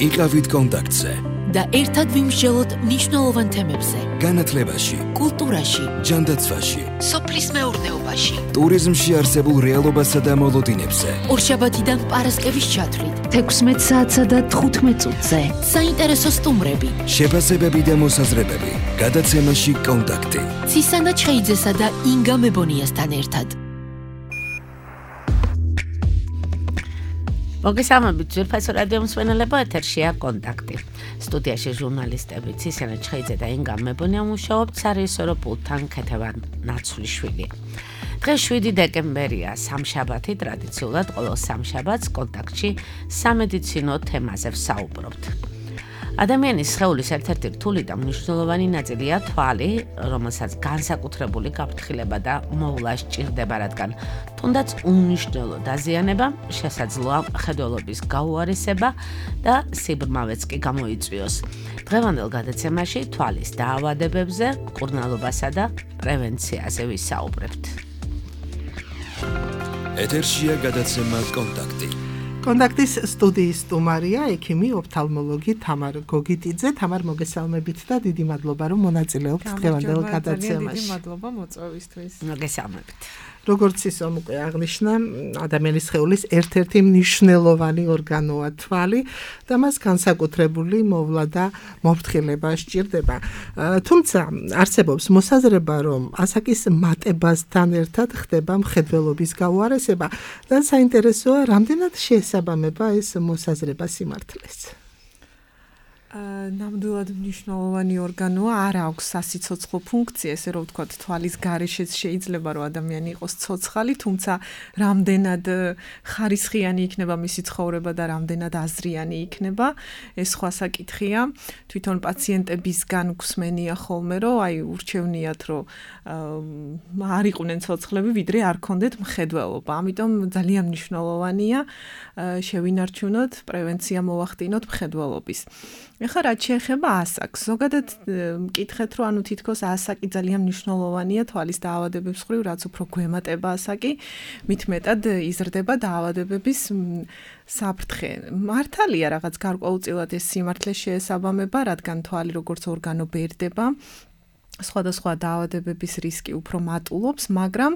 იყავით კონტაქტზე და ერთად ვიმსჯელოთ მნიშვნელოვან თემებზე. განათლებაში, კულტურაში, ჯანდაცვაში, სოფლის მეურნეობაში, ტურიზმში არსებულ რეალობასა და მოლოდინებზე. ორშაბათიდან პარასკევის ჩათვლით 16 საათსა და 15 წუთზე. საინტერესო სტუმრები, შეფასებები და მოსაზრებები. გადაცემაში კონტაქტი. ცისანა ჩხეიძესა და ინგა მებონიასთან ერთად. მოგესალმებით ძვირფასო რადიო მსმენელებო, ეთერშია კონტაქტი. სტუდიაში ჟურნალისტები ცისანა ჩხეიძე და ინგა მებონია მუშაობთ სარეჟისორო პულტთან ქეთევან ნაცვლიშვილი. დღეს 7 დეკემბერია, სამშაბათი, ტრადიციულად ყოველ სამშაბათს კონტაქტში სამედიცინო თემაზე ვსაუბრობთ. ადამიანის სხეულის ერთ-ერთი რთული და მნიშვნელოვანი ნაწილია თვალი, რომელსაც განსაკუთრებული გაფრთხილება და მოვლა სჭირდება, რადგან თუნდაც უნიშნელო დაზიანება შესაძლოა მხედველობის გაუარესება და სიბრმავეც კი გამოიწვიოს. დღევანდელ გადაცემაში თვალის დაავადებებზე, მკურნალობასა და პრევენციაზე ვისაუბრებთ. ეთერშია გადაცემა კონტაქტი. კონტაქტის სტუდიის სტუმარია ექიმი ოფთალმოლოგი თამარ გოგიტიძე. თამარ, მოგესალმებით და დიდი მადლობა რომ მონაწილეობთ დღევანდელ გადაცემაში. დიდი მადლობა მოწვევისთვის. მოგესალმებით. როგორც ისე უკვე აღნიშნა, ადამიანის სხეულის ერთ-ერთი მნიშვნელოვანი ორგანოა თვალი და მას განსაკუთრებული მოვლა და მოფრთხილება სჭირდება. თუმცა არსებობს მოსაზრება, რომ ასაკის მატებასთან ერთად ხდება მხედველობის გაუარესება და საინტერესოა, რამდენად შეესაბამება ეს მოსაზრება სიმართლეს. ნამდვილად მნიშვნელოვანი ორგანოა, არ აქვს სასიცოცხლო ფუნქცია, ესე რომ ვთქვათ, თვალის გარეშეც შეიძლება რომ ადამიანი იყოს ცოცხალი, თუმცა რამდენად ხარისხიანი იქნება მისი ცხოვრება და რამდენად აზრიანი იქნება, ეს სხვა საკითხია. თვითონ პაციენტებისგან გვსმენია ხოლმე, რომ აი ურჩევნიათ, რომ არ იყვნენ ცოცხლები, ვიდრე არ ქონდეთ მხედველობა. ამიტომ ძალიან მნიშვნელოვანია შევინარჩუნოთ, პრევენცია მოვახდინოთ მხედველობის. ეხლა რაც შეეხება ასაკს, ზოგადად მკითხეთ, რომ ანუ თითქოს ასაკი ძალიან მნიშვნელოვანია თვალის დაავადებების მხრივ, რაც უფრო გვემატება ასაკი, მით მეტად იზრდება დაავადებების საფრთხე. მართალია რაღაც გარკვეულწილად ეს სიმართლე შეესაბამება, რადგან თვალი როგორც ორგანო ბერდება, სხვადასხვა დაავადებების რისკი უფრო მატულობს, მაგრამ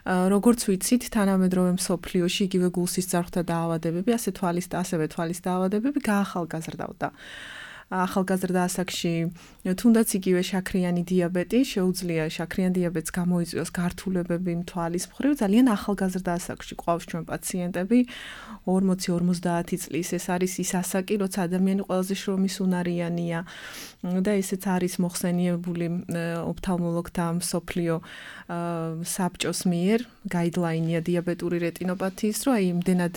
როგორც ვიცით, თანამედროვე მსოფლიოში იგივე გულსისწარღვთა დაავადებები, ასევე თვალის დაავადებები გაახალგაზრდავდა. ახალგაზრდა ასაკში თუნდაც იგივე შაქრიანი დიაბეტი შეუძლია შაქრიან დიაბეტს გამოიწვიოს გართულებები თვალის მხრივ, ძალიან ახალგაზრდა ასაკში ყავს ჩვენ პაციენტები 40-50 წლის. ეს არის ის ასაკი, როცა ადამიანი ყველაზე შრომის უნარიანია და ესეც არის მოხსენიებული ოფთალმოლოგთა მსოფლიო საბჭოს მიერ, გაიდლაინია დიაბეტური რეტინოპათიის, რომ აი იმდენად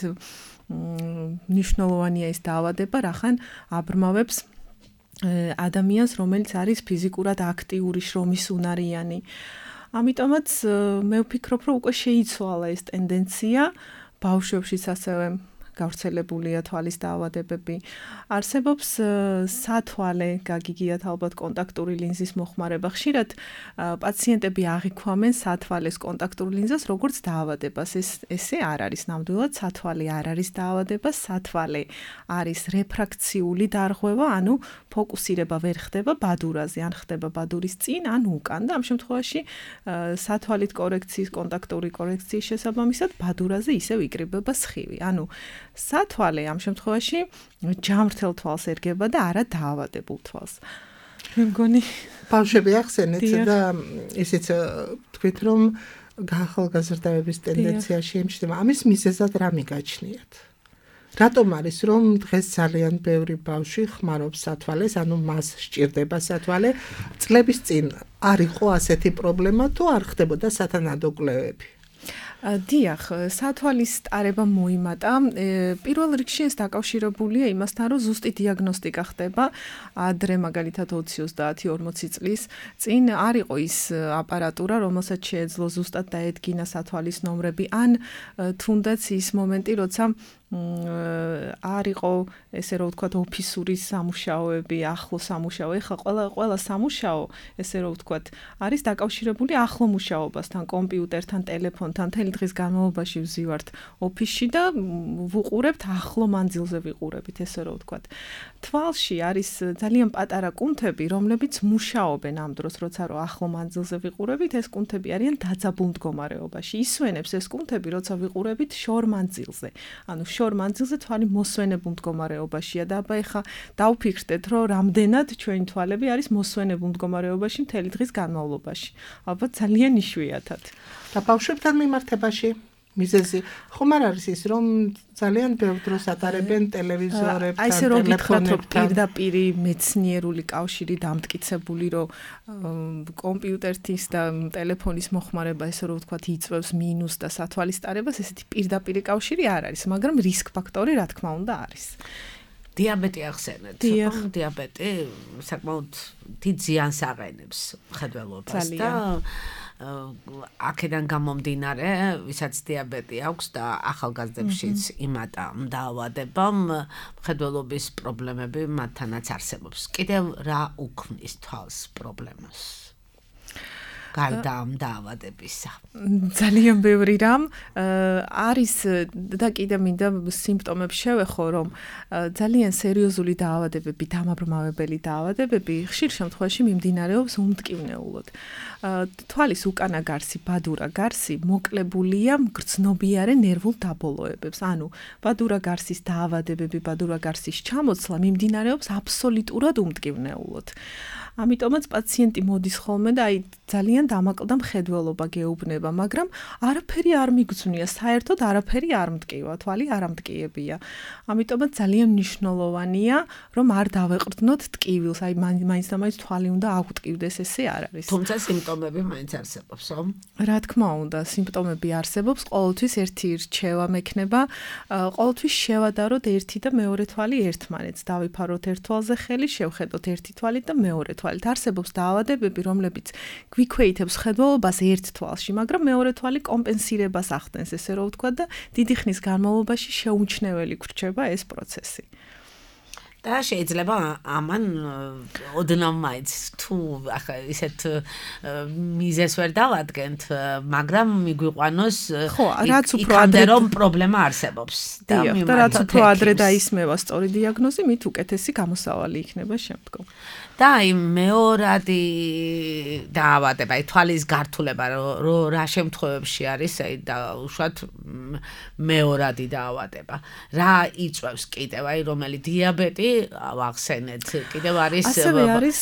მნიშვნელოვანია ეს დაავადება, რახან აბრმავებს ადამიანს, რომელიც არის ფიზიკურად აქტიური, შრომის უნარიანი. ამიტომაც მე ვფიქრობ, რომ უკვე შეიცვალა ეს ტენდენცია, ბავშვებშიც ასევე გავრცელებულია თვალის დაავადებები. არსებობს სათვალე, გაგიგიათ ალბათ კონტაქტური ლინზის მოხმარება. ხშირად პაციენტები აღიქვამენ სათვალეს კონტაქტურ ლინზას როგორც დაავადებას. ესე არ არის ნამდვილად, სათვალე არ არის დაავადება, სათვალე არის რეფრაქციული დარღვევა, ანუ ფოკუსირება ვერ ხდება ბადურაზე, ან ხდება ბადურის წინ, ან უკან და ამ შემთხვევაში სათვალით კორექციის, კონტაქტური კორექციის შესაბამისად ბადურაზე ისევ იკრიბება სხივი. ანუ სათვალე ამ შემთხვევაში ჯამრთელ თვალს ერგება და არა დაავადებულ თვალს. მე მგონი ბავშვები ახსენეთ და ისიც თქვით, რომ გაახალგაზრდების ტენდენცია შეიმჩნევა. ამის მიზეზად რა მიგაჩნიათ? რატომ არის, რომ დღეს ძალიან ბევრი ბავშვი ხმარობს სათვალეს, ანუ მას სჭირდება სათვალე? წლების წინ არ იყო ასეთი პრობლემა თუ არ ხდებოდა სათანადო კვლევები? დიახ, სათვალის ტარება მოიმატა. პირველ რიგში ეს დაკავშირებულია იმასთან, რომ ზუსტი დიაგნოსტიკა ხდება ადრე, მაგალითად 20-30-40 წლის წინ არ იყო ის აპარატურა, რომელსაც შეეძლო ზუსტად დაედგინა სათვალის ნომრები, ან თუნდაც ის მომენტი, როცა არ არ იყო ესე რომ ვთქვათ ოფისური სამუშაოები, ახლო სამუშაო. ეხლა ყველა სამუშაო, ესე რომ ვთქვათ, არის დაკავშირებული ახლო მუშაობასთან, კომპიუტერთან, ტელეფონთან. მთელი დღის განმავლობაში ვზივართ ოფისში და ვუყურებთ ახლო მანძილზე ვიყურებით, ესე რომ ვთქვათ. თვალში არის ძალიან პატარა კუნთები, რომლებიც მუშაობენ ამ დროს, როცა რომ ახლო მანძილზე ვიყურებით, ეს კუნთები არიან დაძაბულ მდგომარეობაში. ისვენებს ეს კუნთები, როცა ვიყურებით შორ მანძილზე. ანუ შორ მანძილზე თვალი მოსვენებულ მდგომარეობაშია და აბა ეხა დავფიქრდეთ, რომ რამდენად ჩვენი თვალები არის მოსვენებულ მდგომარეობაში მთელი დღის განმავლობაში. ალბათ ძალიან იშვიათად. და ბავშვებთან მიმართებაში მიზეზი ხომ არ არის ის, რომ ძალიან ბევრ დროს ატარებენ ტელევიზორებთან, აი ესე რომ გითხრათ, რომ პირდაპირ მეცნიერული კავშირი დამტკიცებული, რომ კომპიუტერის და ტელეფონის მოხმარება, ესე რომ ვთქვათ, იწვევს მინუსს და სათვალისწარებას, ესეთი პირდაპირ კავშირი არ არის, მაგრამ რისკ ფაქტორი რა თქმა უნდა არის. დიაბეტი ახსენეთ. დიაბეტი საკმაოდ დიდ ზიანს აყენებს მხედველობას და აქედან გამომდინარე, ვისაც დიაბეტი აქვს და ახალგაზრდებშიც იმატა დაავადებამ, მხედველობის პრობლემები მათთანაც არსებობს. კიდევ რა უქმნის თვალს პრობლემას? გარდა ამ დაავადებისა. ძალიან ბევრი რამ არის და კიდე მინდა სიმპტომებს შევეხო, რომ ძალიან სერიოზული დაავადებები, დამაბრმავებელი დაავადებები ხშირ შემთხვევაში მიმდინარეობს უმტკივნეულოდ. თვალის უკანა გარსი, ბადურა გარსი მოკლებულია მგრძნობიარე ნერვულ დაბოლოებებს. ანუ ბადურა გარსის დაავადებები, ბადურა გარსის ჩამოცლა მიმდინარეობს აბსოლუტურად უმტკივნეულოდ. ამიტომაც პაციენტი მოდის ხოლმე და აი ძალიან დამაკლდა მხედველობა გეუბნება, მაგრამ არაფერი არ მიგძვნია, საერთოდ არაფერი არ მტკივა, თვალი არ ამტკიებია. ამიტომაც ძალიან მნიშვნელოვანია, რომ არ დავეყრდნოთ ტკივილს, აი მაინც და მაინც თვალი უნდა აგვტკივდეს, ესე არ არის. თუმცა სიმპტომები მაინც არსებობს, ხო? რა თქმა უნდა, სიმპტომები არსებობს, ყოველთვის ერთი რჩევა მექნება, ყოველთვის შევადაროთ ერთი და მეორე თვალი ერთმანეთს, დავიფაროთ ერთ თვალზე ხელი, შევხედოთ ერთი თვალი და მეორე თვალით. არსებობს დაავადებები, რომლებიც გვიქვეითებს მხედველობას ერთ თვალში, მაგრამ მეორე თვალი კომპენსირებას ახდენს, ესე რომ ვთქვათ და დიდი ხნის განმავლობაში შეუმჩნეველი გრჩება ეს პროცესი. და შეიძლება ამან ოდნავ მაინც თუ ახლა ისეთ მიზეს ვერ დავადგენთ, მაგრამ მიგვიყვანოს რაც უფრო ადრე რომ პრობლემა არსებობს და რაც უფრო ადრე დაისმევა სწორი დიაგნოზი, მით უკეთესი გამოსავალი იქნება შემდგომ. და აი მეორადი დაავადება, აი თვალის გართულება რა შემთხვევებში არის, აი და უშუალოდ მეორადი დაავადება. რა იწვევს კიდევ, აი რომელი დიაბეტი ვახსენეთ, კიდევ არის ასევე არის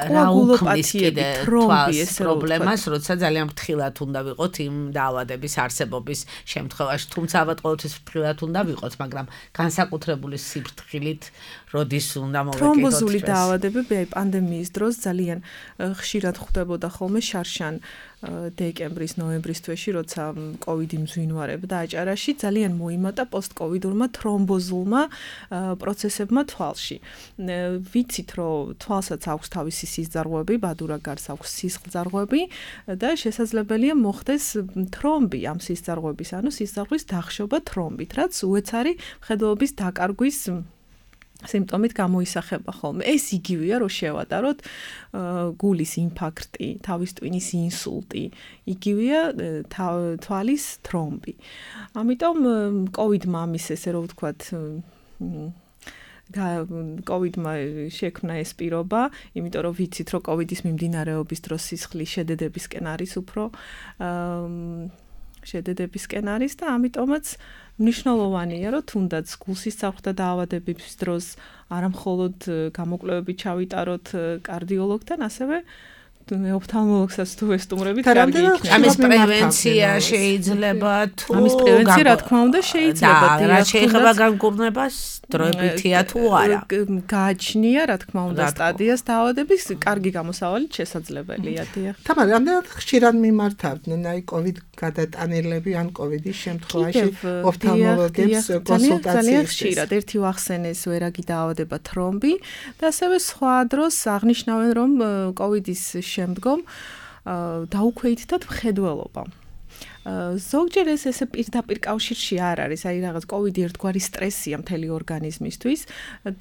კოაგულოპათიები, თრომბი, ეს პრობლემას, როცა ძალიან ფრთხილად უნდა ვიყოთ იმ დაავადების არსებობის შემთხვევაში, თუმცა ალბათ ყოველთვის ფრთხილად უნდა ვიყოთ, მაგრამ განსაკუთრებული სიფრთხილით როდის უნდა მოვეკიდოთ. თრომბოზული დაავადებები აი პანდემიის დროს ძალიან ხშირად ხვდებოდა ხოლმე შარშან დეკემბრის, ნოემბრის თვეში, როცა კოვიდი მძვინვარებდა აჭარაში, ძალიან მოიმატა პოსტკოვიდურმა თრომბოზულმა პროცესებმა თვალში. ვიცით, რომ თვალსაც აქვს თავისი სისხლძარღვები, ბადურა გარს აქვს სისხლძარღვები და შესაძლებელია მოხდეს თრომბი ამ სისხლძარღვების, ანუ სისხლძარღვის დახშობა თრომბით, რაც უეცარი მხედველობის დაკარგვის სიმპტომით გამოისახება ხოლმე. ეს იგივეა, რომ შევადაროთ გულის ინფარქტი, თავის ტვინის ინსულტი, იგივეა თვალის თრომბი. ამიტომ კოვიდმა ამის ესე რომ ვთქვათ კოვიდმა შექმნა ეს პირობა, იმიტომ რომ ვიცით, რომ კოვიდის მიმდინარეობის დროს სისხლის შედედებისკენ არის უფრო შედედებისკენ არის და ამიტომაც მნიშვნელოვანია, რომ თუნდაც გულსისწრაფთა დაავადებების დროს არა მხოლოდ გამოკვლევები ჩავიტაროთ კარდიოლოგთან, ასევე ოფთალმოლოგსაც თუ ესტუმრებით კარგი იქნება. ამის პრევენცია შეიძლება თუ ამის პრევენცია რა თქმა უნდა შეიძლება. რა შეიძლება განკურნებას დროებითია თუ არა. გააჩნია რა თქმა უნდა სტადიას დაავადების კარგი გამოსავალით შესაძლებელია. თამარ, რამდენად ხშირად მიმართავდნენ აი კოვიდ გადატანილები ან კოვიდის შემთხვევაში ოფთალმოლოგებს კონსულტაციისთვის? ძალიან ხშირად. ერთი ვახსენეს ვერაგი დაავადება თრომბი და ასევე სხვა დროს აღნიშნავენ რომ კოვიდის შემდგომ დაუქვეითდათ მხედველობა. ზოგჯერ ესე პირდაპირ კავშირში არ არის, აი რაღაც კოვიდი ერთგვარი სტრესია მთელი ორგანიზმისთვის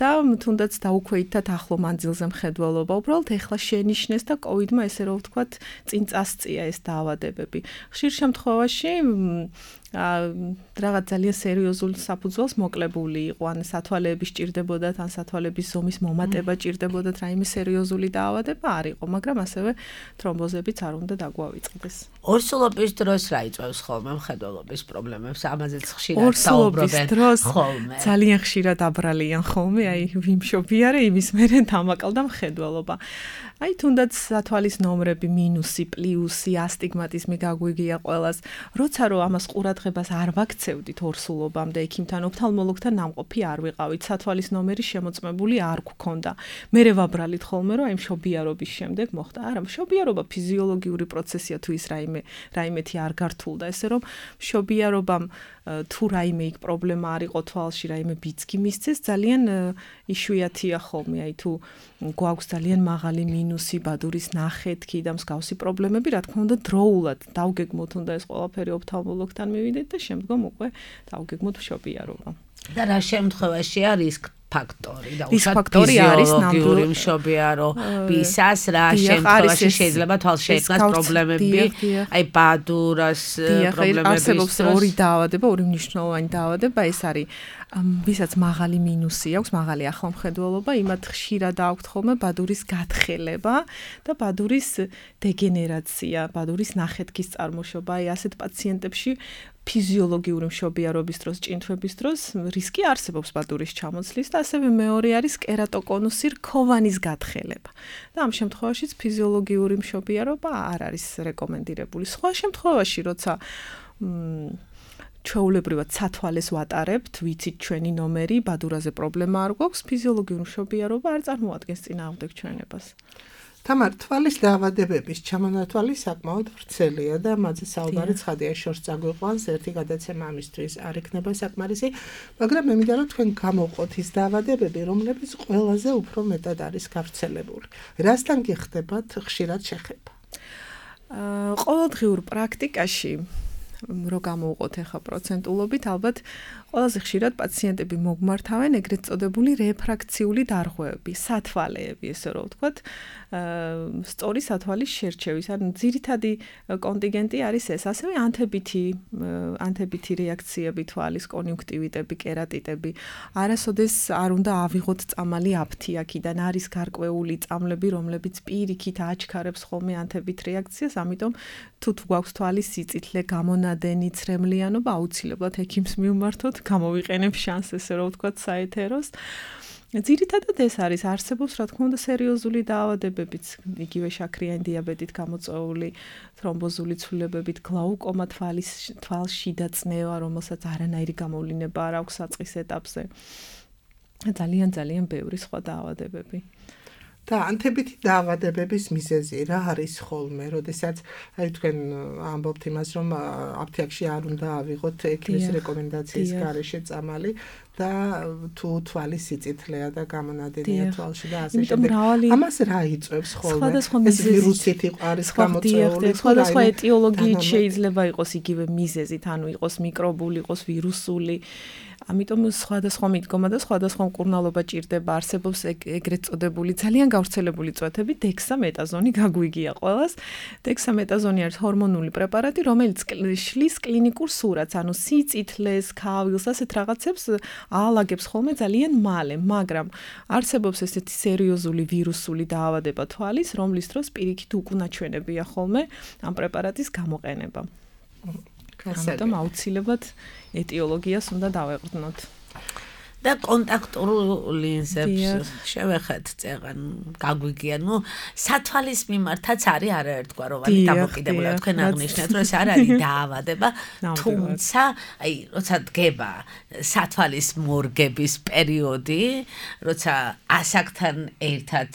და თუნდაც დაუქვეითად ახლო მანძილზე მხედველობა, უბრალოდ ეხლა შენიშნეს და კოვიდმა ესე რომ ვთქვათ, წინ წასწია ეს დაავადებები. ხშირ შემთხვევაში რაღაც ძალიან სერიოზულ საფუძველს მოკლებული იყო, ან სათვალეები სჭირდებოდათ, ან სათვალების ზომის მომატება სჭირდებოდათ, რაიმე სერიოზული დაავადება არ იყო, მაგრამ ასევე თრომბოზებიც არ უნდა დაგვავიწყდეს. ორსულობის დროს რა იწვევს ხოლმე მხედველობის პრობლემებს? ამაზეც ხშირად საუბრობენ ხოლმე. ძალიან ხშირად აბრალიან ხოლმე, აი ვიმშობიარე, იმის მერე დამაკალდა მხედველობა. აი თუნდაც სათვალის ნომრები მინუსი, პლუსი, ასტიგმატიზმი გაგვიგია ყველას. როცა რომ ამას ყურადღებას არ ვაქცევდით ორსულობამდე, ექიმთან, ოფთალმოლოგთან ნამყოფი არ ვიყავით, სათვალის ნომერი შემოწმებული არ გქონდა. მერე ვაბრალით ხოლმე, რომ აი მშობიარობის შემდეგ მოხდა. არა, მშობიარობა ფიზიოლოგიური პროცესია, თუ ის რაიმეთი არ გართულდა, ესე რომ მშობიარობამ თუ რაიმე იქ პრობლემა არ იყო თვალში, რაიმე ბიძგი მისცეს, ძალიან იშვიათია ხოლმე, აი თუ გვაქვს ძალიან მაღალი მინუსი, ბადურის ნახეთქი და მსგავსი პრობლემები, რა თქმა უნდა, დროულად დავგეგმოთ უნდა ეს ყველაფერი ოფთალმოლოგთან მივიდეთ და შემდგომ უკვე დავგეგმოთ მშობიარობა. და რა შემთხვევაშია რისკ ფაქტორი და რისკ ფაქტორი არის ნამდვილი მშობიარობისას რა შემთხვევაში შეიძლება თვალს შეექმნას პრობლემები, აი ბადურას პრობლემები. არსებობს ორი დაავადება, ორი მნიშვნელოვანი დაავადება, ეს არის ვისაც მაღალი მინუსი აქვს, მაღალი ახლომხედველობა, იმათ ხშირად აქვთ ხოლმე ბადურის გათხელება და ბადურის დეგენერაცია, ბადურის ნახეთქის წარმოშობა. აი ასეთ პაციენტებში ფიზიოლოგიური მშობიარობის დროს, ჭინთვების დროს რისკი არსებობს ბადურის ჩამოცლის და ასევე მეორე არის კერატოკონუსი რქოვანის გათხელება. და ამ შემთხვევაშიც ფიზიოლოგიური მშობიარობა არ არის რეკომენდირებული. სხვა შემთხვევაში, როცა ჩვეულებრივად სათვალეს ვატარებთ, ვიცით ჩვენი ნომერი, ბადურაზე პრობლემა არ გვაქვს, ფიზიოლოგიური მშობიარობა არ წარმოადგენს წინააღმდეგ ჩვენებას. თამარ, თვალის დაავადებების ჩამონათვალი საკმაოდ ვრცელია და მათზე საუბარი ცხადია, შორს წაგვიყვანს, ერთი გადაცემა ამისთვის არ იქნება საკმარისი, მაგრამ მე მინდა რომ თქვენ გამოვყოთ ის დაავადებები, რომლებიც ყველაზე უფრო მეტად არის გავრცელებული. რასთან გიხდებათ ხშირად შეხება? ყოველდღიურ პრაქტიკაში რო გამოვყოთ ახლა პროცენტულობით, ალბათ ყველაზე ხშირად პაციენტები მოგმართავენ ეგრეთ წოდებული რეფრაქციული დარღვევები, სათვალეები, ესე რომ ვთქვათ, სწორი სათვალის შერჩევის, ან ძირითადი კონტინგენტი არის ეს, ასევე ანთებითი რეაქციები თვალის, კონიუნქტივიტები, კერატიტები. არასოდეს არ უნდა ავიღოთ წამალი აფთიაქიდან, არის გარკვეული წამლები, რომლებიც პირიქით აჩქარებს ხოლმე ანთებით რეაქციას, ამიტომ თუ გვაქვს თვალის სიწითლე, გამონადენი, ცრემლიანობა, აუცილებლად ექიმს მივმართოთ, გამოვიყენებ შანსს, ესე რომ ვთქვათ, საეთეროს. ძირითადად ეს არის, არსებობს რა თქმა უნდა სერიოზული დაავადებებიც, იგივე შაქრიანი დიაბეტით გამოწვეული, თრომბოზული ცვლილებებით, გლაუკომა თვალს შიდა წნევა, რომელსაც არანაირი გამოვლინება არ აქვს საწყის ეტაპზე. ძალიან ბევრი სხვა დაავადებები. და ანთებითი დაავადებების მიზეზი რა არის ხოლმე, როდესაც აი თქვენ ამბობთ იმას, რომ აფთიაქში არ უნდა ავიღოთ ექიმის რეკომენდაციის გარეშე წამალი და თუ თვალის სიწითლეა და გამონადენია თვალში და ასე შემდეგ. ამას რა იწვევს ხოლმე? ეს ვირუსით არის გამოწვეული, სხვადასხვა ეტიოლოგიით შეიძლება იყოს იგივე მიზეზით, ანუ იყოს მიკრობული, იყოს ვირუსული. ამიტომ სხვადასხვა მიდგომა და სხვადასხვა მკურნალობა ჭირდება, არსებობს ეგრეთ წოდებული ძალიან გავრცელებული წვეთები, დექსამეტაზონი გაგვიგია ყველას. დექსამეტაზონი არის ჰორმონული პრეპარატი, რომელიც შლის კლინიკურ სურათს, ანუ სიწითლეს, ქავილს, ასეთ რაღაცებს აალაგებს ხოლმე ძალიან მალე, მაგრამ არსებობს ესეთი სერიოზული ვირუსული დაავადება თვალის, რომლის დროს პირიქით უკუნაჩვენებია ხოლმე ამ პრეპარატის გამოყენება. ამიტომ აუცილებლად ეტიოლოგიას უნდა დავეყრდნოთ. და კონტაქტურ ლინზებს შევეხეთ წეგან გაგვიგია, სათვალის მიმართაც არის არაერთგვაროვანი დამოკიდებულება. თქვენ აღნიშნეთ, რომ ეს არ არის დაავადება, თუმცა, აი, როცა დგება სათვალის მორგების პერიოდი, როცა ასაკთან ერთად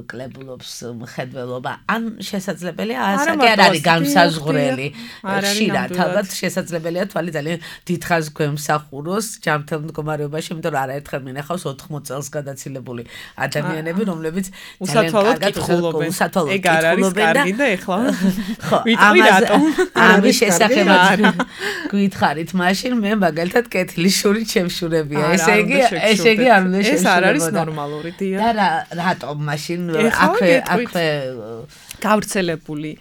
კლებულობს მხედველობა, ან შესაძლებელია ასაკი არ არის განსაზღვრელი. ხშირად ალბათ შესაძლებელია თვალი ძალიან დიდხანს გვემსახუროს ჯანმრთელ მდგომარეობაში, იმიტომ რომ არაერთხელ მინახავს 80 წელს გადაცილებული ადამიანები, რომლებიც უსათვალოდ კითხულობენ. ეგ არ არის კარგი და ეხლა ვიტყვი რატომ? ამის შესახებ გითხარით, მაშინ მე მაგალითად კეთილის შური ჩემშურებია. ესე იგი არ უნდა ეს არ არის ნორმალური დია. და რატომ მაშინ აქვე გავრცელებული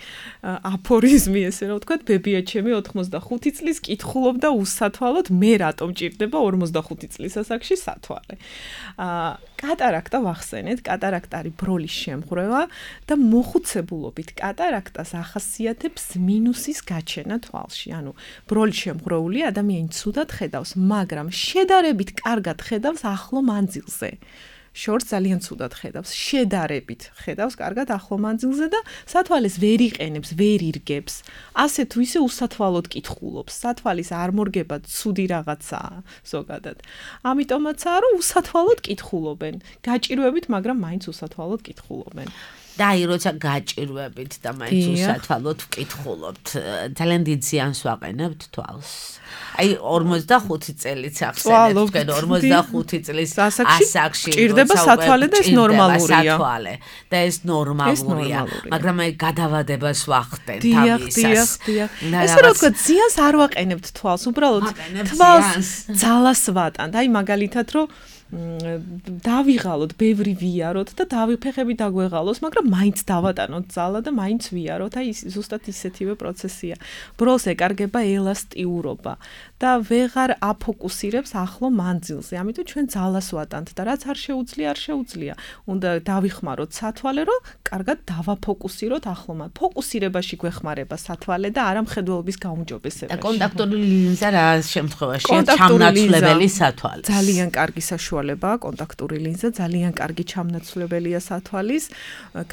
აფორიზმი ესე რომ ვთქვათ, ბებია ჩემი 85 წლის კითხულობდა უსათვალოდ, მე რატომ ჭირდება 45 წლის ასაკში სათვალე. კატარაქტა ვახსენეთ, კატარაქტა არის ბროლის შემღვრევა და მოხუცებულობით კატარაქტას ახასიათებს მინუსის გაჩენა თვალში. ანუ ბროლის შემღვრეული ადამიანი ცუდად ხედავს, მაგრამ შედარებით კარგად ხედავს ახლო მანძილზე. შორს ძალიან ცუდად ხედავს, შედარებით ხედავს კარგად ახლო მანძილზე და სათვალეს ვერ იყენებს, ვერ ირგებს. ასე თუ ისე უსათვალოდ კითხულობს. სათვალის არ მორგება ცუდი რაღაცაა ზოგადად. ამიტომაცაა რომ უსათვალოდ კითხულობენ. გაჭირვებით, მაგრამ მაინც უსათვალოდ კითხულობენ. და აი როცა გაჭირვებით და მაინც უსათვალოდ ვკითხულობთ, ძალიან დიდ ზიანს ვაყენებთ თვალს. აი 45 წელიც ახსენეთ, 45 წლის ასაკში ჭირდება სათვალე და ეს ნორმალურია. და ეს ნორმალურია, მაგრამ აი გადავადებას ვახდენთ ამისას. ესე რომ თქვა ზიანს არ ვაყენებთ თვალს, უბრალოდ თვალს ძალას ვატანთ. აი მაგალითად რომ დავიღალოთ, ბევრი ვიაროთ და ფეხები დაგვეღალოს, მაგრამ მაინც დავატანოთ ძალა და მაინც ვიაროთ. აი ზუსტად ისეთივე პროცესია. ბროლს ეკარგება ელასტიურობა და ვეღარ აფოკუსირებს ახლო მანძილზე. ამიტომ ჩვენ ძალას ვატანთ და რაც არ შეუძლია. უნდა დავიხმაროთ სათვალე, რომ კარგად დავაფოკუსიროთ ახლო მანძილზე. ფოკუსირებაში გვეხმარება სათვალე და არა მხედველობის გაუმჯობესებაში. და კონტაქტური ლინზა რა შემთხვევაშია ჩამნაცვლებელი სათვალეს. ძალიან კარგი საშუალებაა კონტაქტური ლინზა, ძალიან კარგი ჩამნაცვლებელია სათვალის,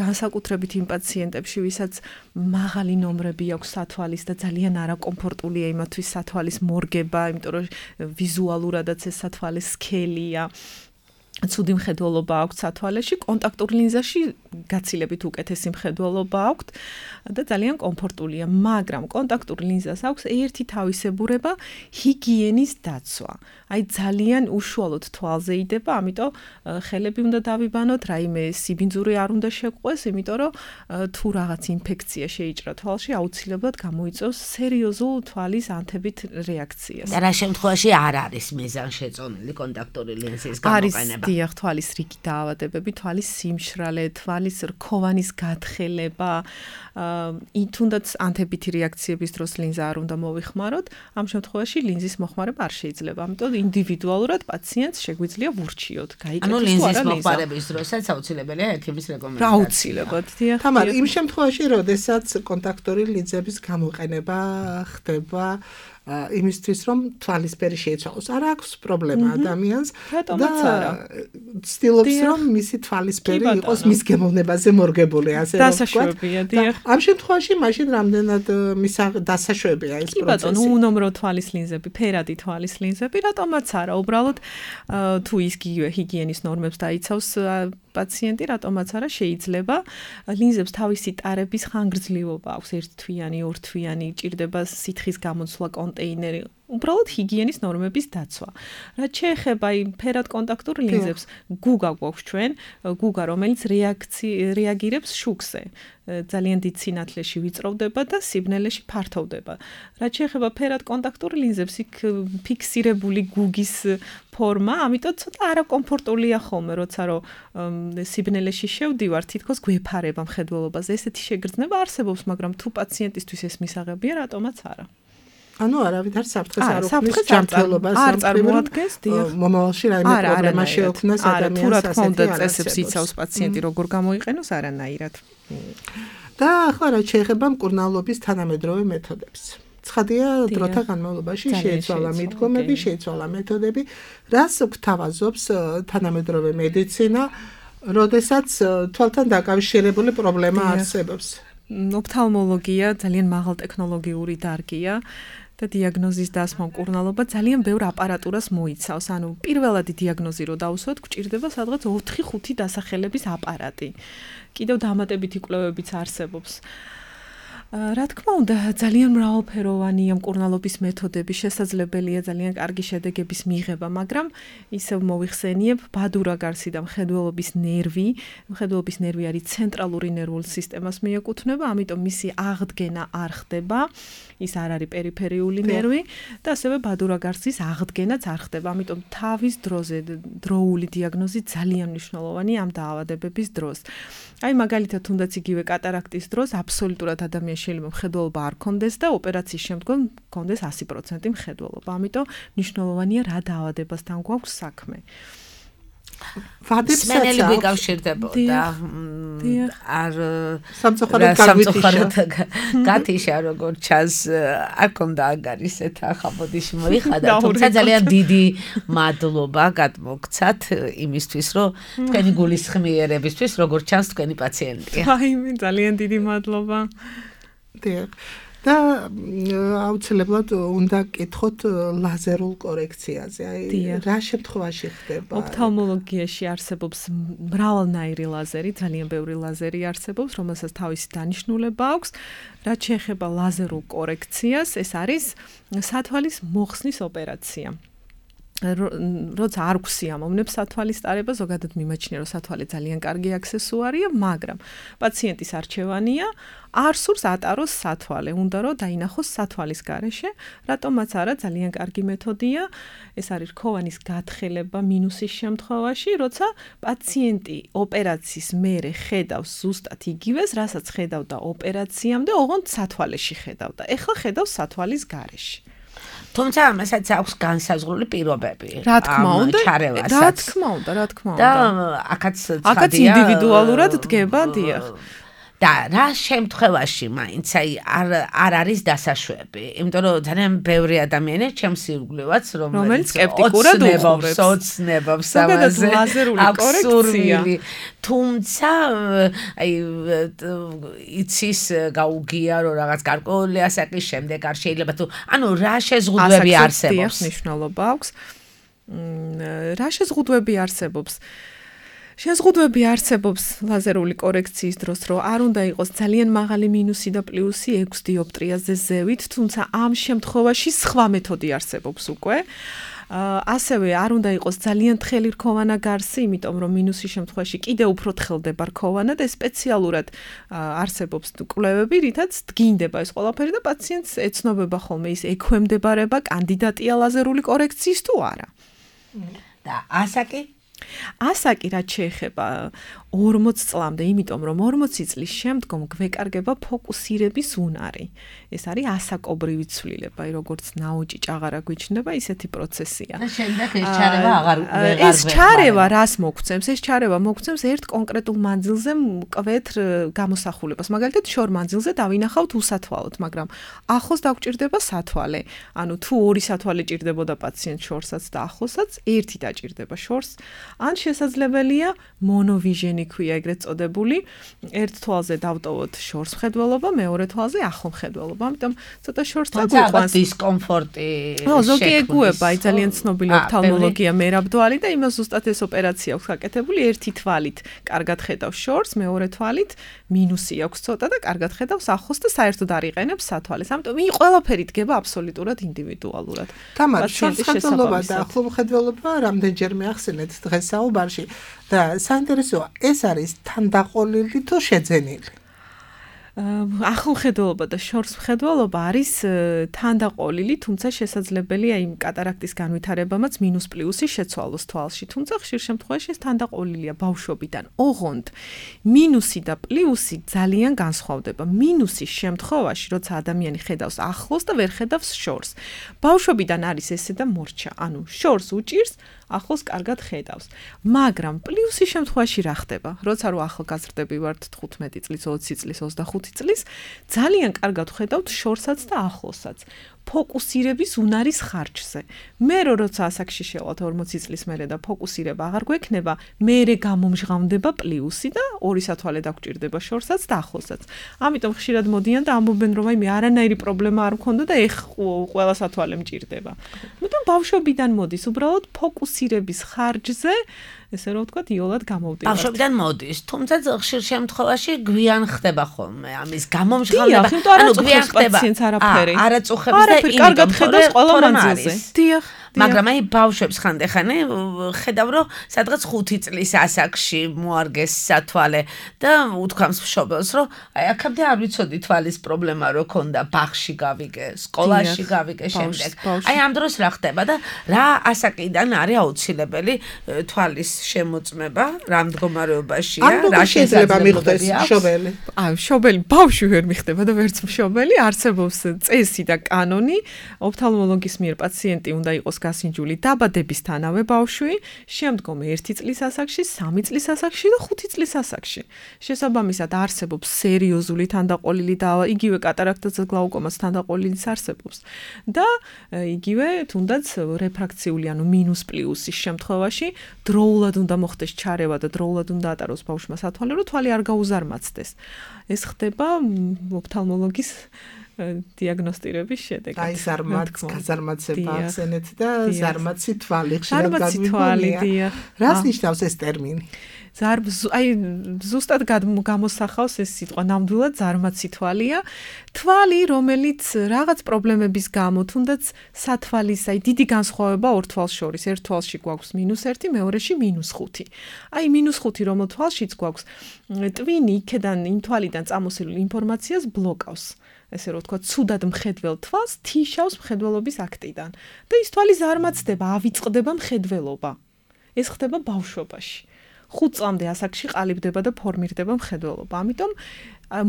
განსაკუთრებით იმ პაციენტებში, ვისაც მაღალი ნომრები აქვს სათვალის და ძალიან არაკომფორტულია იმათთვის სათვალის მორგება, იმიტომ რომ ვიზუალურადაც ეს სათვალე სქელია. ცუდი მხედველობა აქვს სათვალეში, კონტაქტურ ლინზაში გაცილებით უკეთესი მხედველობა აქვს და ძალიან კომფორტულია, მაგრამ კონტაქტურ ლინზას აქვს ერთი თავისებურება, ჰიგიენის დაცვა. აი ძალიან უშუალოდ თვალზე იდება, ამიტომ ხელები უნდა დავიბანოთ, რაიმე სიბინძური არ უნდა შეგვყვეს, იმიტომ რომ თუ რაღაც ინფექცია შეიჭრა თვალში, აუცილებლად გამოიწვევს სერიოზულ თვალის ანთებით რეაქციას. და რა შემთხვევაში არ არის მიზანშეწონილი კონტაქტური ლინზის გამოყენება? დიახ, თვალის რიგი დაავადებები, თვალის სიმშრალე, თვალის რქოვანის გათხელება, თუნდაც ანთებითი რეაქციების დროს ლინზა არ უნდა მოვიხმაროთ, ამ შემთხვევაში ლინზის მოხმარება არ შეიძლება. ამიტომ ინდივიდუალურად პაციენტს შეგვიძლია ვურჩიოთ, გაიგეთ თუ არა ლინზა. ანუ ლინზის მოხმარების დროსაც აუცილებელია ექიმის რეკომენდაცია. აუცილებლად, დიახ. თამარ, იმ შემთხვევაში, როდესაც კონტაქტური ლინზების გამოყენება ხდება იმისთვის რომ თვალისფერი შეიცვალოს. არ აქვს პრობლემა ადამიანს და ცდილობს რომ მისი თვალისფერი იყოს მის გემოვნებაზე მორგებული, ასე რომ ვთქვათ. ამ შემთხვევაში მაშინ რამდენად დასაშვებია ეს პროცესი. კი ბატონო, უნომრო თვალის ლინზები, ფერადი თვალის ლინზები, რატომაც არა, უბრალოდ თუ ის ჰიგიენის ნორმებს დაიცავს პაციენტი, რატომაც არა შეიძლება ლინზებს თავისი ტარების ხანგრძლივობა აქვს, ერთთვიანი, ორთვიანი, ჭირდება სითხის გამოცვლა კონტეინერი, უბრალოდ ჰიგიენის ნორმების დაცვა. რაც შეეხება იმ ფერად კონტაქტურ ლინზებს, გუგა გვაქვს ჩვენ, გუგა რომელიც რეაგირებს შუქზე. ძალიან დიდ სინათლეში ვიწროვდება და სიბნელეში ფართოვდება. რაც შეეხება ფერად კონტაქტურ ლინზებს, იქ ფიქსირებული გუგის ფორმა, ამიტომ ცოტა არაკომფორტულია ხოლმე, როცა რომ სიბნელეში შევდივარ, თითქოს გვეფარება მხედველობაზე. ესეთი შეგრძნება არსებობს, მაგრამ თუ პაციენტისთვის ეს მისაღებია, რატომაც არა. ანუ არავითარ საფრთხეს არ უქმნის ჯანმრთელობას, არ წარმოადგენს, დიახ. მომავალში რაიმე პრობლემა შეექმნას ადამიანს ასეთი. თუ რა თქმა უნდა წესებს იცავს პაციენტი როგორ გამოიყენოს არანაირად. და ახლა რა შეეხება მკურნალობის თანამედროვე მეთოდებს. ცხადია, დროთა განმავლობაში შეიცვალა მიდგომები, შეიცვალა მეთოდები, რას გვთავაზობს თანამედროვე მედიცინა, როდესაც თვალთან დაკავშირებული პრობლემა არსებობს. ოფთალმოლოგია ძალიან მაღალტექნოლოგიური დარგია და დიაგნოზის დასმა მკურნალობა ძალიან ბევრ აპარატურას მოიცავს. ანუ პირველადი დიაგნოზი რო დავუსვათ, გვჭირდება სადღაც 4-5 დასახელების აპარატი. კიდევ დამატებითი კვლევებიც არსებობს. რა თქმა უნდა, ძალიან მრავალფეროვანია მკურნალობის მეთოდები, შესაძლებელია ძალიან კარგი შედეგების მიღება, მაგრამ ისევ მოვიხსენიებ, ბადურაგარსი და მხედველობის ნერვი, მხედველობის ნერვი არის ცენტრალური ნერვულ სისტემას მიეკუთვნება, ამიტომ მისი აღდგენა არ ხდება, ის არ არის პერიფერიული ნერვი და ასევე ბადურაგარსის აღდგენაც არ ხდება, ამიტომ თავის დროზე დროული დიაგნოზი ძალიან მნიშვნელოვანია ამ დაავადებების დროს. აი მაგალითად, თუნდაც იგივე კატარაქტის დროს აბსოლუტურად ადამიანს შეიძლება მხედველობა არ კონდეს და ოპერაციის შემდგომ კონდეს 100% მხედველობა. ამიტომ მნიშვნელოვანია რა დაავადებასთან გვაქვს საქმე. სმენელი გვიკავშირდებოდა არ სამწუხაროდ გათიშა როგორც ჩანს არ კონდა ანგარისეთ ახლა ბოდიში მოიხადა თუმცა ძალიან დიდი მადლობა გადმოგცათ იმისთვის რომ თქვენი გულისხმიერებისთვის როგორც ჩანს თქვენი პაციენტია. აიმე ძალიან დიდი მადლობა. დიახ. და აუცილებლად უნდა კითხოთ ლაზერულ კორექციაზე. აი რა შემთხვევაში ხდება? ოფთალმოლოგიაში არსებობს მრავალნაირი ლაზერი, ძალიან ბევრი ლაზერი არსებობს, რომელსაც თავისი დანიშნულება აქვს. რაც შეეხება ლაზერულ კორექციას, ეს არის სათვალის მოხსნის ოპერაცია. როცა არ გვსიამოვნებს სათვალის ტარება, ზოგადად მიმაჩნია, რომ სათვალე ძალიან კარგი აქსესუარია, მაგრამ პაციენტის არჩევანია არ სურს ატაროს სათვალე, უნდა რომ დაინახოს სათვალის გარეშე, რატომაც არა ძალიან კარგი მეთოდია, ეს არის რქოვანის გათხელება მინუსის შემთხვევაში, როცა პაციენტი ოპერაციის მერე ხედავს ზუსტად იგივეს, რასაც ხედავდა ოპერაციამდე, ოღონდ სათვალეში ხედავდა. ეხლა ხედავს სათვალის გარეშე. თუმცა ამასაც აქვს განსაზღვრული პირობები. რა თქმა უნდა, რა თქმა უნდა. და აქაც ინდივიდუალურად დგება, დიახ. და რა შემთხვევაში მაინც არ არის დასაშვები, იმიტომ რომ ძალიან ბევრი ადამიანი ჩემს ირგვლივაც რომელიც სკეპტიკურად უყურებს ოცნებობს ამაზე ლაზერული კორექცია. თუმცა აი იცის გაუგია რომ რაღაც გარკვეული ასაკის შემდეგ არ შეიძლება თუ ანუ რა შეზღუდვები არსებობს? მნიშვნელობა აქვს. რა შეზღუდვები არსებობს? შეზღუდვები არსებობს ლაზერული კორექციის დროს, რომ არ უნდა იყოს ძალიან მაღალი მინუსი და პლუსი 6 დიოპტრიაზე ზევით, თუმცა ამ შემთხვევაში სხვა მეთოდი არსებობს უკვე. ასევე არ უნდა იყოს ძალიან თხელი რქოვანა გარსი, იმიტომ რომ მინუსის შემთხვევაში კიდევ უფრო თხელდება რქოვანა და სპეციალურად არსებობს კვლევები, რითაც დგინდება ეს ყველაფერი და პაციენტს ეცნობება ხოლმე ის ექვემდებარება კანდიდატია ლაზერული კორექციის თუ არა. და ასაკი? ასაკი რაც შეეხება 40 წლამდე, იმიტომ რომ 40 წლის შემდგომ გვეკარგება ფოკუსირების უნარი. ეს არის ასაკობრივი ცვლილება, როგორც ნაოჭი ჭაღარა გვიჩნდება, ისეთი პროცესია. და შემდეგ ეს ჩარევა აღარ ეს ჩარევა რას მოგცემს? ეს ჩარევა მოგცემს ერთ კონკრეტულ მანძილზე მკვეთრ გამოსახულებას. მაგალითად, შორ მანძილზე დავინახავთ უსათვალოდ, მაგრამ ახლოს დაგვჭირდება სათვალე. ანუ თუ ორი სათვალე ჭირდებოდა პაციენტს შორსაც და ახლოსაც, ერთი დაჭირდება შორს. ან შესაძლებელია მონოვიჟენი ქვია ეგრეთ წოდებული, ერთ თვალზე დავტოვოთ შორს მხედველობა, მეორე თვალზე ახლო მხედველობა. ამიტომ ცოტა შორს დაგვიყვანს დისკომფორტი. ზოგი ეგუება, აი ძალიან ცნობილი ოფთალმოლოგია მერაბდვალი და იმას ზუსტად ეს ოპერაცია აქვს გაკეთებული, ერთი თვალით კარგად ხედავს შორს, მეორე თვალით მინუსი აქვს ცოტა და კარგად ხედავს ახლოს და საერთოდ არ იყენებს სათვალეს. ამიტომ ის ყველაფერი დგება აბსოლუტურად ინდივიდუალურად. თამარ, შორს მხედველობა და ახლო მხედველობა რამდენჯერმე ახსენეთ დღეს საუბარში და საინტერესოა, ეს არის თანდაყოლილი თუ შეძენილი? ახლო მხედველობა და შორს მხედველობა არის თანდაყოლილი, თუმცა შესაძლებელია იმ კატარაქტის განვითარებამაც მინუს პლუსი შეცვალოს თვალში, თუმცა ხშირ შემთხვევაში ეს თანდაყოლილია ბავშვობიდან. ოღონდ მინუსი და პლუსი ძალიან განსხვავდება. მინუსის შემთხვევაში, როცა ადამიანი ხედავს ახლოს და ვერ ხედავს შორს. ბავშვობიდან არის ესე და მორჩა, ანუ შორს უჭირს, ახლოს კარგად ხედავს. მაგრამ პლუსის შემთხვევაში რა ხდება? როცა რო ახალგაზრდები ვართ 15 წლის, 20 წლის, 25 წლის, ძალიან კარგად ხედავთ შორსაც და ახლოსაც. ფოკუსირების უნარის ხარჯზე. მე როცა ასაკში შევალთ 40 წლის მერე და ფოკუსირება აღარ გვექნება, მერე გამომჟღავნდება პლუსი და ორი სათვალე დაგვჭირდება შორსაც და ახლოსაც. ამიტომ ხშირად მოდიან და ამბობენ, რომ აი მე არანაირი პრობლემა არ მქონდა და ეხ ყველა სათვალე მჭირდება. მაგრამ ბავშვობიდან მოდის, უბრალოდ ფოკუსი მცირების ხარჯზე ესე რომ ვთქვათ, იოლად გამოვდივართ. ბავშვებიდან მოდის, თუმცა ხშირ შემთხვევაში გვიან ხდება ხოლმე ამის გამომჟღავნება. ანუ გვიან ხდება პაციენტს არაფერი. არაწუხებს და კარგად ხედავს ყველა მანძილზე. დიახ. მაგრამ აი ბავშვებს ხანდახანი ხედავ რომ სადღაც 5 წლის ასაკში მოარგეს სათვალე და უთქვამს მშობელს რომ აი აქამდე არ ვიცოდი თვალის პრობლემა რო ქონდა ბაღში გავიგე, სკოლაში გავიგე შემდეგ. აი ამ დროს რა ხდება და რა ასაკიდან არის აუცილებელი თვალის შემოწმება, რა მდგომარეობაშია, რა შეიძლება მიხდეს მშობელი. აი მშობელი ბავშვი ვერ მიხდება და ვერც მშობელი, არსებობს წესი და კანონი, ოფთალმოლოგის მიერ პაციენტი უნდა იყოს გასინჯული დაბადებისთანავე ბავშვი, შემდგომ 1 წლის ასაკში, 3 წლის ასაკში და 5 წლის ასაკში. შესაბამისად არსებობს სერიოზული თანდაყოლილი და იგივე კატარაქტაზე გლაუკომას თანდაყოლილიც არსებობს. და იგივე თუნდაც რეფრაქციული, ანუ მინუს პლუსის შემთხვევაში დროულად უნდა მოხდეს ჩარევა და დროულად უნდა ატაროს ბავშვმა სათვალე, რომ თვალი არ გაუზარმაცდეს. ეს ხდება ოფთალმოლოგის დიაგნოსტირების შედეგად. აი გაზარმაცება ახსენეთ და ზარმაცი თვალი ხშირად ზარმაცი თვალი, დიახ. რას ნიშნავს ეს ტერმინი? აი ზუსტად გამოსახავს ეს სიტყვა ნამდვილად ზარმაცი თვალია. თვალი, რომელიც რაღაც პრობლემების გამო, თუნდაც სათვალის, აი დიდი განსხვავება ორ თვალს შორის. ერთ თვალში გვაქვს -1, მეორეში -5. აი -5 რომელ თვალშიც გვაქვს ტვინი იქედან იმ თვალიდან წამოსილ ინფორმაციას ბლოკავს. ესე რომ ვთქვათ, ცუდად მხედველ თვალს თიშავს მხედველობის აქტიდან. და ის თვალი ზარმაცდება, ავიწყდება მხედველობა. ეს ხდება ბავშვობაში. 5 წლამდე ასაკში ყალიბდება და ფორმირდება მხედველობა. ამიტომ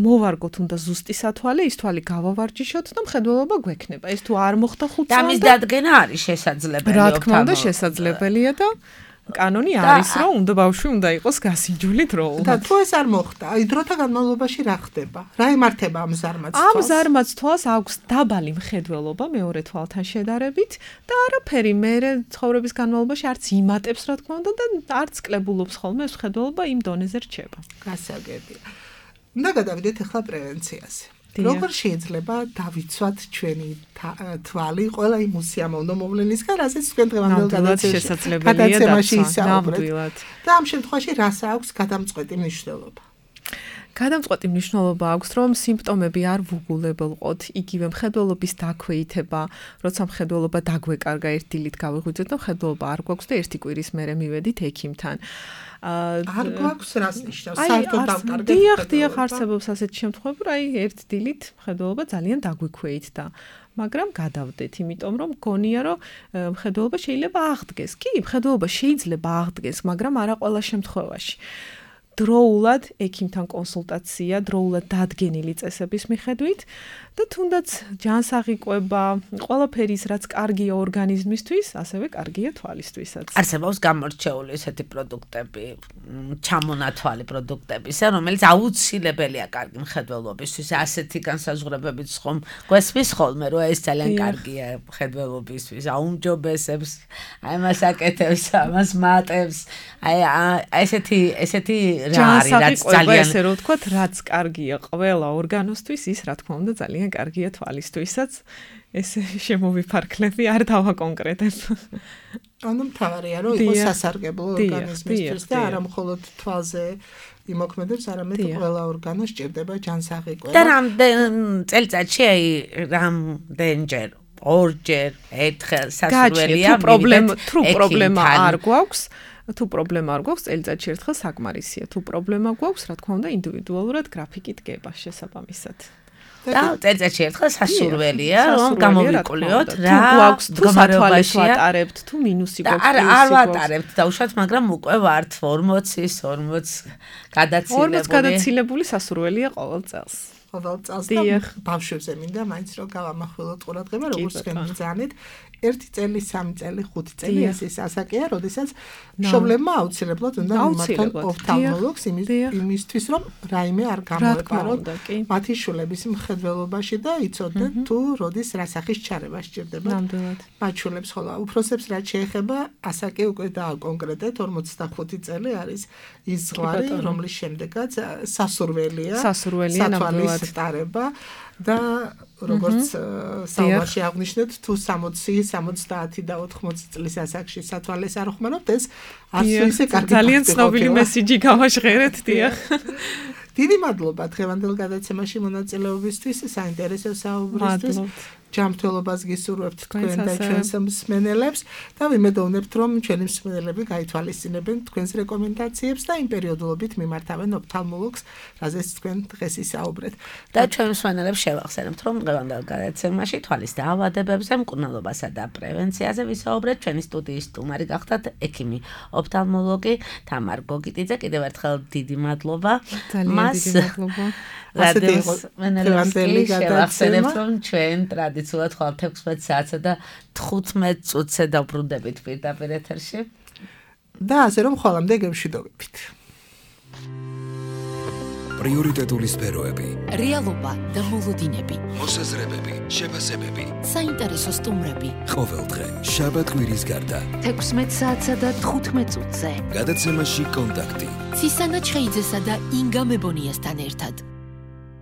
მოვარგოთ უნდა ზუსტი სათვალე, ის თვალი გავავარჯიშოთ და მხედველობა გვექნება. ეს თუ არ მოხდა 5 წლამდე, ამის დადგენა არის შესაძლებელი. რა თქმა უნდა, შესაძლებელია და კანონი არის, რომ უნდა ბავშვი უნდა იყოს გასინჯული დროულად. და თუ ეს არ მოხდა, აი დროთა განმავლობაში რა ხდება? რა ემართება ამ ზარმაც თვალს? ამ ზარმაც თვალს აქვს დაბალი მხედველობა მეორე თვალთან შედარებით და არაფერი მერე ცხოვრების განმავლობაში არც იმატებს, რა თქმა უნდა, და არც კლებულობს ხოლმე ეს მხედველობა იმ დონეზე რჩება. გასაგებია. უნდა გადავიდეთ ახლა პრევენციაზე. როგორ შეიძლება დავიცვათ ჩვენი თვალი ყველა იმ უსიამოვნო მოვლენისგან, რასაც თქვენ დღევანდელ გადაცემაში ისაუბრეთ. და ამ შემთხვევაში რას აქვს გადამწყვეტი მნიშვნელობა? გადამწყვეტი მნიშვნელობა აქვს, რომ სიმპტომები არ ვუგულებელყოთ, იგივე მხედველობის დაქვეითება, როცა მხედველობა დაგვეკარგა ერთ დილით გავიღვიძეთ და მხედველობა არ გვაქვს და ერთი კვირის მერე მივედით ექიმთან. არ გვაქვს რას ნიშნავს? საერთოდ დავკარგეთ. დიახ, არსებობს ასეთი შემთხვევები, რომ აი ერთ დილით მხედველობა ძალიან დაგვიქვეითდა. მაგრამ გადავდეთ, იმიტომ რომ გონია, რომ მხედველობა შეიძლება აღდგეს. კი, მხედველობა შეიძლება აღდგეს, მაგრამ არა ყველა შემთხვევაში. დროულად ექიმთან კონსულტაცია, დროულად დადგენილი წესების მიხედვით და თუნდაც ჯანსაღი-კვება, ყველაფერის რაც კარგია ორგანიზმისთვის, ასევე კარგია თვალისთვისაც. არსებობს გამორჩეული ესეთი პროდუქტები, ჩამონათვალი პროდუქტები, რომელიც აუცილებელია კარგი მხედველობისთვის. ასეთი განსაზღვრებებით ხომ გვესმის ხოლმე, რომ ეს ძალიან კარგია მხედველობისთვის, აუმჯობესებს, აი მას აკეთებს, ამას მატებს. აი ესეთი რა არის, რაც ძალიან ესე რომ ვთქვათ, რაც კარგია ყველა ორგანოსთვის, ის რა თქმა უნდა ძალიან კარგია თვალისთვისაც. ეს შემოვიფარქლები, არ დავაკონკრეტებ. ანუ მთავარია, რომ იყოს სასარგებლო ორგანიზმისთვის და არა მხოლოდ თვალზე იმოქმედებს, არამედ ყველა ორგანო სჭირდება ჯანსაღი-კვება. და წელიწადში აი რამდენჯერ, ორჯერ, ერთხელ სასურველია თუ პრობლემა არ გვაქვს, წელიწადში ერთხელ საკმარისია. თუ პრობლემა გვაქვს, რა თქმა უნდა, ინდივიდუალურად გრაფიკი დგება შესაბამისად. და წელიწადში ერთხელ სასურველია, რომ გამოვიკვლიოთ რა გვაქვს, თუ სათვალეს ვატარებთ, თუ მინუსი გვაქვს. არ ვატარებთ დაუშვათ, მაგრამ უკვე ვართ 40 გადაცილებული სასურველია ყოველ წელს. ყოველ წელს და ბავშვებზე მინდა მაინც რომ გავამახვილოთ ყურადღება, როგორც თქვენ ბრძანეთ, 1 წელი, 3 წელი, 5 წელი ეს ასაკია, როდესაც მშობლებმა აუცილებლად უნდა მიმართონ ოფთალმოლოგს იმისთვის, რომ რაიმე არ გამოეპაროთ მათი შვილების მხედველობაში და იცოდნენ თუ როდის რა სახის ჩარევა სჭირდება. მათ შვილებს ხოლმე უფროსებს რაც შეეხება, ასაკი უკვე დააკონკრეტეთ, 45 წელი არის ის ზღვარი, რომლის შემდეგაც სასურველია ნამდვილად. სტარება და როგორც საუბარში აღნიშნეთ, თუ 60, 70 და 80 წლის ასაკში სათვალეს არ ხმარობთ, ეს არც ისე კარგი ძალიან ცნობილი მესიჯი გავაჟღერეთ, დიახ. დიდი მადლობა დღევანდელ გადაცემაში მონაწილეობისთვის, საინტერესო საუბრისთვის. ჯანმრთელობას გისურვებთ თქვენ და ჩვენს მსმენელებს და ვიმედოვნებთ, რომ ჩვენი მსმენელები გაითვალისწინებენ თქვენს რეკომენდაციებს და იმ პერიოდულობით მიმართავენ ოფთალმოლოგს, რაზეც თქვენ დღეს ისაუბრეთ. და ჩვენ მსმენელებს შევახსენებთ, რომ დღევანდელ გადაცემაში თვალის დაავადებებზე, მკურნალობასა და პრევენციაზე ვისაუბრეთ. ჩვენი სტუდიის სტუმარი გახდათ ექიმი ოფთალმოლოგი თამარ გოგიტიძე. კიდევ ერთხელ დიდი მადლობა. მას რადიოს მენელები შევახსენებთ, რომ ჩვენ ტრადიციულად ხვალ 16 საათსა და 15 წუთზე დავბრუნდებით პირდაპირ ეთერში. და ასე რომ ხვალამდე გემშვიდობებით. პრიორიტეტული სფეროები, რეალობა და მოლოდინები, მოსაზრებები, შეფასებები, საინტერესო სტუმრები. ყოველდღე შაბათ-კვირის გარდა 16 საათსა და 15 წუთზე. გადაცემაში კონტაქტი. ცისანა ჩხეიძესა და ინგა მებონიასთან ერთად.